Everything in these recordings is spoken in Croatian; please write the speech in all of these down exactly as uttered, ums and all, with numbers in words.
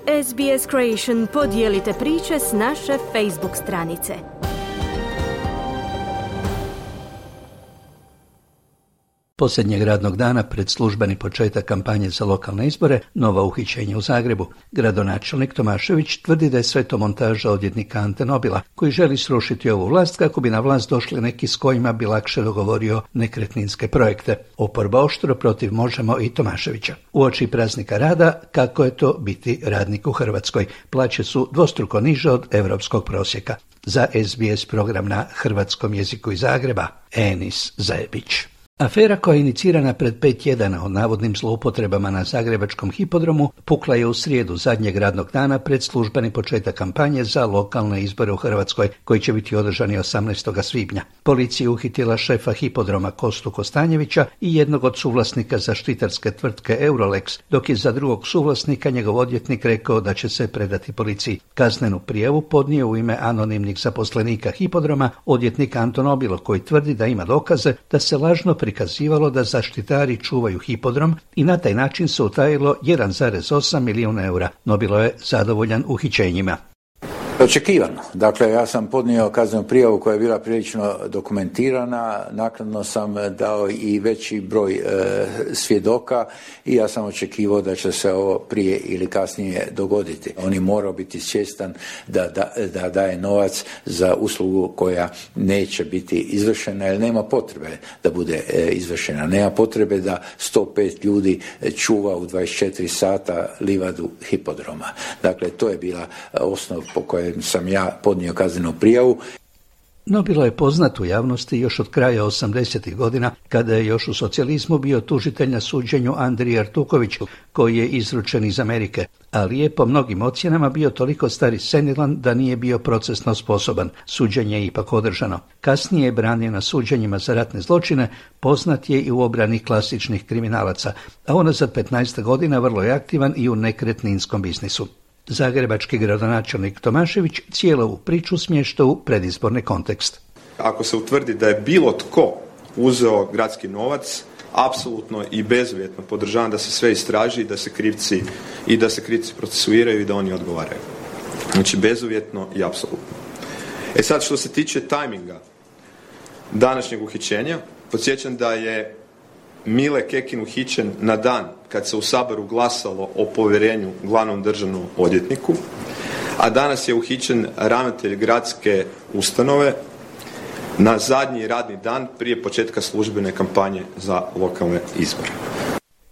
S B S Creation podijelite priče s naše Facebook stranice. Posljednjeg radnog dana pred službeni početak kampanje za lokalne izbore, nova uhićenja u Zagrebu. Gradonačelnik Tomašević tvrdi da je sve to montaža odvjetnika Ante Nobila, koji želi srušiti ovu vlast kako bi na vlast došli neki s kojima bi lakše dogovorio nekretninske projekte. Oporba oštro protiv Možemo i Tomaševića. Uoči praznika rada, kako je to biti radnik u Hrvatskoj. Plaće su dvostruko niže od europskog prosjeka. Za S B S program na hrvatskom jeziku iz Zagreba, Enis Zajebić. Afera koja je inicirana pred pet tjedana o navodnim zloupotrebama na zagrebačkom hipodromu pukla je u srijedu zadnjeg radnog dana pred službeni početak kampanje za lokalne izbore u Hrvatskoj, koji će biti održani osamnaestog svibnja. Policija je uhitila šefa hipodroma Kostu Kostanjevića i jednog od suvlasnika zaštitarske tvrtke Eurolex, dok je za drugog suvlasnika njegov odvjetnik rekao da će se predati policiji. Kaznenu prijavu podnio u ime anonimnih zaposlenika hipodroma odvjetnik Anto Nobilo, koji tvrdi da ima dokaze da se lažno prikazivalo da zaštitari čuvaju hipodrom i na taj način se utajilo jedan zarez osam milijuna eura. Nobilo je zadovoljan uhićenjima. Očekivano. Dakle, ja sam podnio kaznenu prijavu koja je bila prilično dokumentirana, naknadno sam dao i veći broj e, svjedoka i ja sam očekivao da će se ovo prije ili kasnije dogoditi. On je morao biti svjestan da, da, da daje novac za uslugu koja neće biti izvršena, jer nema potrebe da bude e, izvršena. Nema potrebe da sto pet ljudi čuva u dvadeset četiri sata livadu hipodroma. Dakle, to je bila osnov po kojoj sam ja podnio kaznenu prijavu. Nobilo je poznat u javnosti još od kraja osamdesetih godina, kada je još u socijalizmu bio tužitelj na suđenju Andriji Artukoviću, koji je izručen iz Amerike, ali je po mnogim ocjenama bio toliko star i senilan da nije bio procesno sposoban. Suđenje je ipak održano. Kasnije je branio na suđenjima za ratne zločine, poznat je i u obrani klasičnih kriminalaca, a unazad petnaest godina vrlo je aktivan i u nekretninskom biznisu. Zagrebački gradonačelnik Tomašević cijelu ovu priču smješta u predizborni kontekst. Ako se utvrdi da je bilo tko uzeo gradski novac, apsolutno i bezuvjetno podržavam da se sve istraži, da se krivci i da se krivci procesuiraju i da oni odgovaraju. Znači bezuvjetno i apsolutno. E sad, što se tiče tajminga današnjeg uhićenja, podsjećam da je Mile Kekin uhićen na dan kad se u Saboru glasalo o povjerenju glavnom državnom odvjetniku, a danas je uhićen ravnatelj gradske ustanove na zadnji radni dan prije početka službene kampanje za lokalne izbore.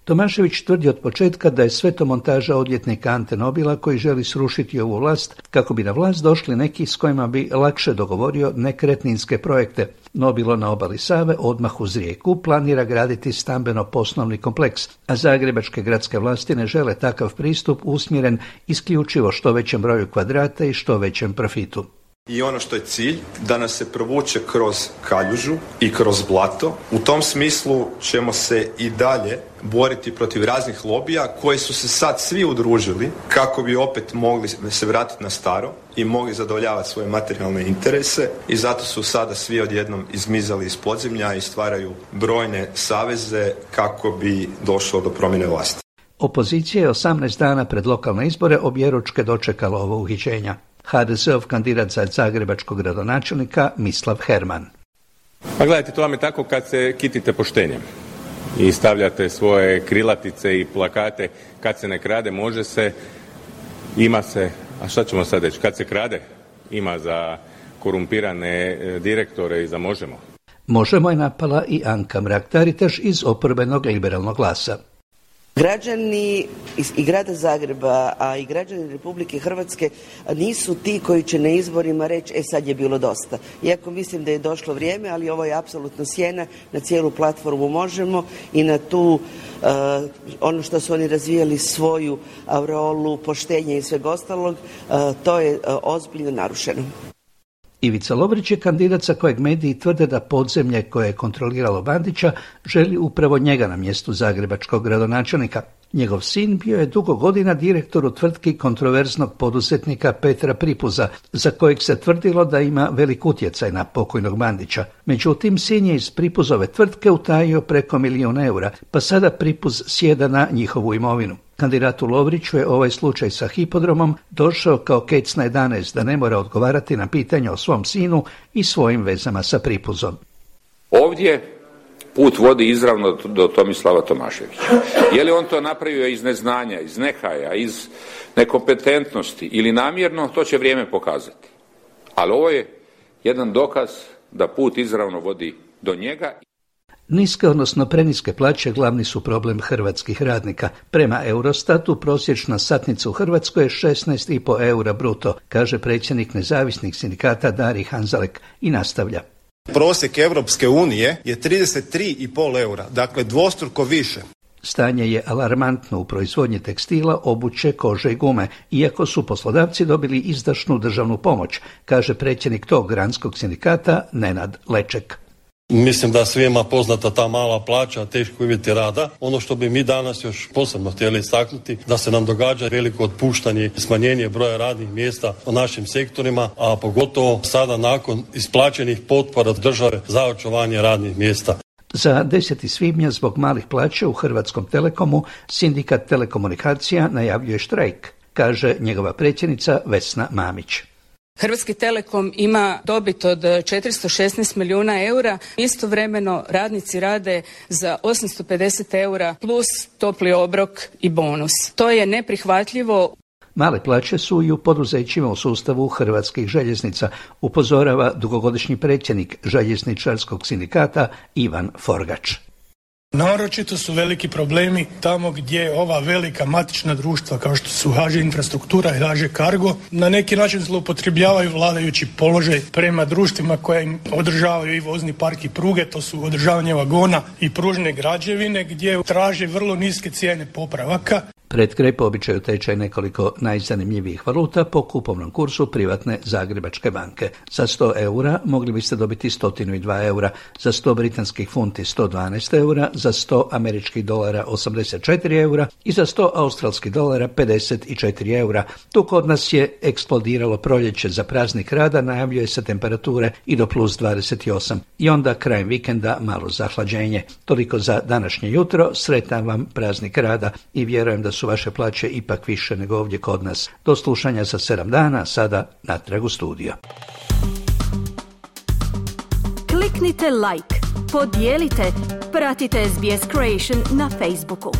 Tomašević tvrdi od početka da je sve to montaža odvjetnika Ante Nobila, koji želi srušiti ovu vlast kako bi na vlast došli neki s kojima bi lakše dogovorio nekretninske projekte. Nobilo na obali Save, odmah uz rijeku, planira graditi stambeno-poslovni kompleks, a zagrebačke gradske vlasti ne žele takav pristup usmjeren isključivo što većem broju kvadrata i što većem profitu. I ono što je cilj, da nas se provuče kroz kaljužu i kroz blato. U tom smislu ćemo se i dalje boriti protiv raznih lobija koji su se sad svi udružili kako bi opet mogli se vratiti na staro i mogli zadovoljavati svoje materijalne interese, i zato su sada svi odjednom izmizali iz podzemlja i stvaraju brojne saveze kako bi došlo do promjene vlasti. Opozicija je osamnaest dana pred lokalne izbore objeručke dočekala ovo uhićenja. ha de ze ov kandidat za zagrebačkog gradonačelnika Mislav Herman. Pa gledajte, to vam je tako kad se kitite poštenjem i stavljate svoje krilatice i plakate: kad se ne krade, može se, ima se. A šta ćemo sad reći? Kad se krade, ima za korumpirane direktore i za Možemo. Možemo je napala i Anka Mrak-Taritaš iz oporbenog liberalnog glasa. Građani i grada Zagreba, a i građani Republike Hrvatske nisu ti koji će na izborima reći e sad je bilo dosta. Iako mislim da je došlo vrijeme, ali ovo je apsolutno sjena na cijelu platformu Možemo i na tu uh, ono što su oni razvijali, svoju aureolu poštenja i sveg ostalog, uh, to je uh, ozbiljno narušeno. Ivica Lobrić je kandidat za kojeg mediji tvrde da podzemlje koje je kontroliralo Bandića želi upravo njega na mjestu zagrebačkog gradonačelnika. Njegov sin bio je dugo godina direktor u tvrtki kontroverznog poduzetnika Petra Pripuza, za kojeg se tvrdilo da ima velik utjecaj na pokojnog Bandića. Međutim, sin je iz Pripuzove tvrtke utajio preko milijun eura, pa sada Pripuz sjeda na njihovu imovinu. Kandidatu Lovriću je ovaj slučaj sa hipodromom došao kao kec na jedanaest, da ne mora odgovarati na pitanja o svom sinu i svojim vezama sa Pripuzom. Ovdje put vodi izravno do Tomislava Tomaševića. Je li on to napravio iz neznanja, iz nehaja, iz nekompetentnosti ili namjerno, to će vrijeme pokazati. Ali ovo je jedan dokaz da put izravno vodi do njega. Niske, odnosno preniske plaće glavni su problem hrvatskih radnika. Prema Eurostatu prosječna satnica u Hrvatskoj je šesnaest i pol eura bruto, kaže predsjednik nezavisnih sindikata Dari Hanzalek i nastavlja. Prosjek Europske unije je trideset tri i pol eura, dakle dvostruko više. Stanje je alarmantno u proizvodnji tekstila, obuće, kože i gume, iako su poslodavci dobili izdašnu državnu pomoć, kaže predsjednik tog granskog sindikata Nenad Leček. Mislim da svima poznata ta mala plaća, teški uvjeti rada. Ono što bi mi danas još posebno htjeli istaknuti, da se nam događa veliko otpuštanje i smanjenje broja radnih mjesta u našim sektorima, a pogotovo sada nakon isplaćenih potpora države za očuvanje radnih mjesta. Za deseti svibnja zbog malih plaća u Hrvatskom Telekomu sindikat telekomunikacija najavljuje štrajk, kaže njegova predsjednica Vesna Mamić. Hrvatski Telekom ima dobit od četiristo šesnaest milijuna eura, istovremeno radnici rade za osamsto pedeset eura plus topli obrok i bonus. To je neprihvatljivo. Male plaće su i u poduzećima u sustavu Hrvatskih željeznica, upozorava dugogodišnji predsjednik željezničarskog sindikata Ivan Forgač. Naročito su veliki problemi tamo gdje ova velika matična društva kao što su H Ž Infrastruktura i H Ž Cargo na neki način zloupotrebljavaju vladajući položaj prema društvima koja im održavaju i vozni park i pruge, to su održavanje vagona i pružne građevine gdje traže vrlo niske cijene popravaka. Pred kraj po običaju tečaj nekoliko najzanimljivijih valuta po kupovnom kursu privatne Zagrebačke banke. Za sto eura mogli biste dobiti sto dva eura, za sto britanskih funti sto dvanaest eura, za sto američkih dolara osamdeset četiri eura i za sto australskih dolara pedeset četiri eura. Tu kod nas je eksplodiralo proljeće, za praznik rada najavljuje se temperature i do plus dvadeset osam. I onda krajem vikenda malo zahlađenje. Toliko za današnje jutro, sretan vam praznik rada i vjerujem da su vaše plaće ipak više nego ovdje kod nas. Do slušanja za sedam dana, sada natrag u studio. Kliknite like, podijelite, pratite S B S Creation na Facebooku.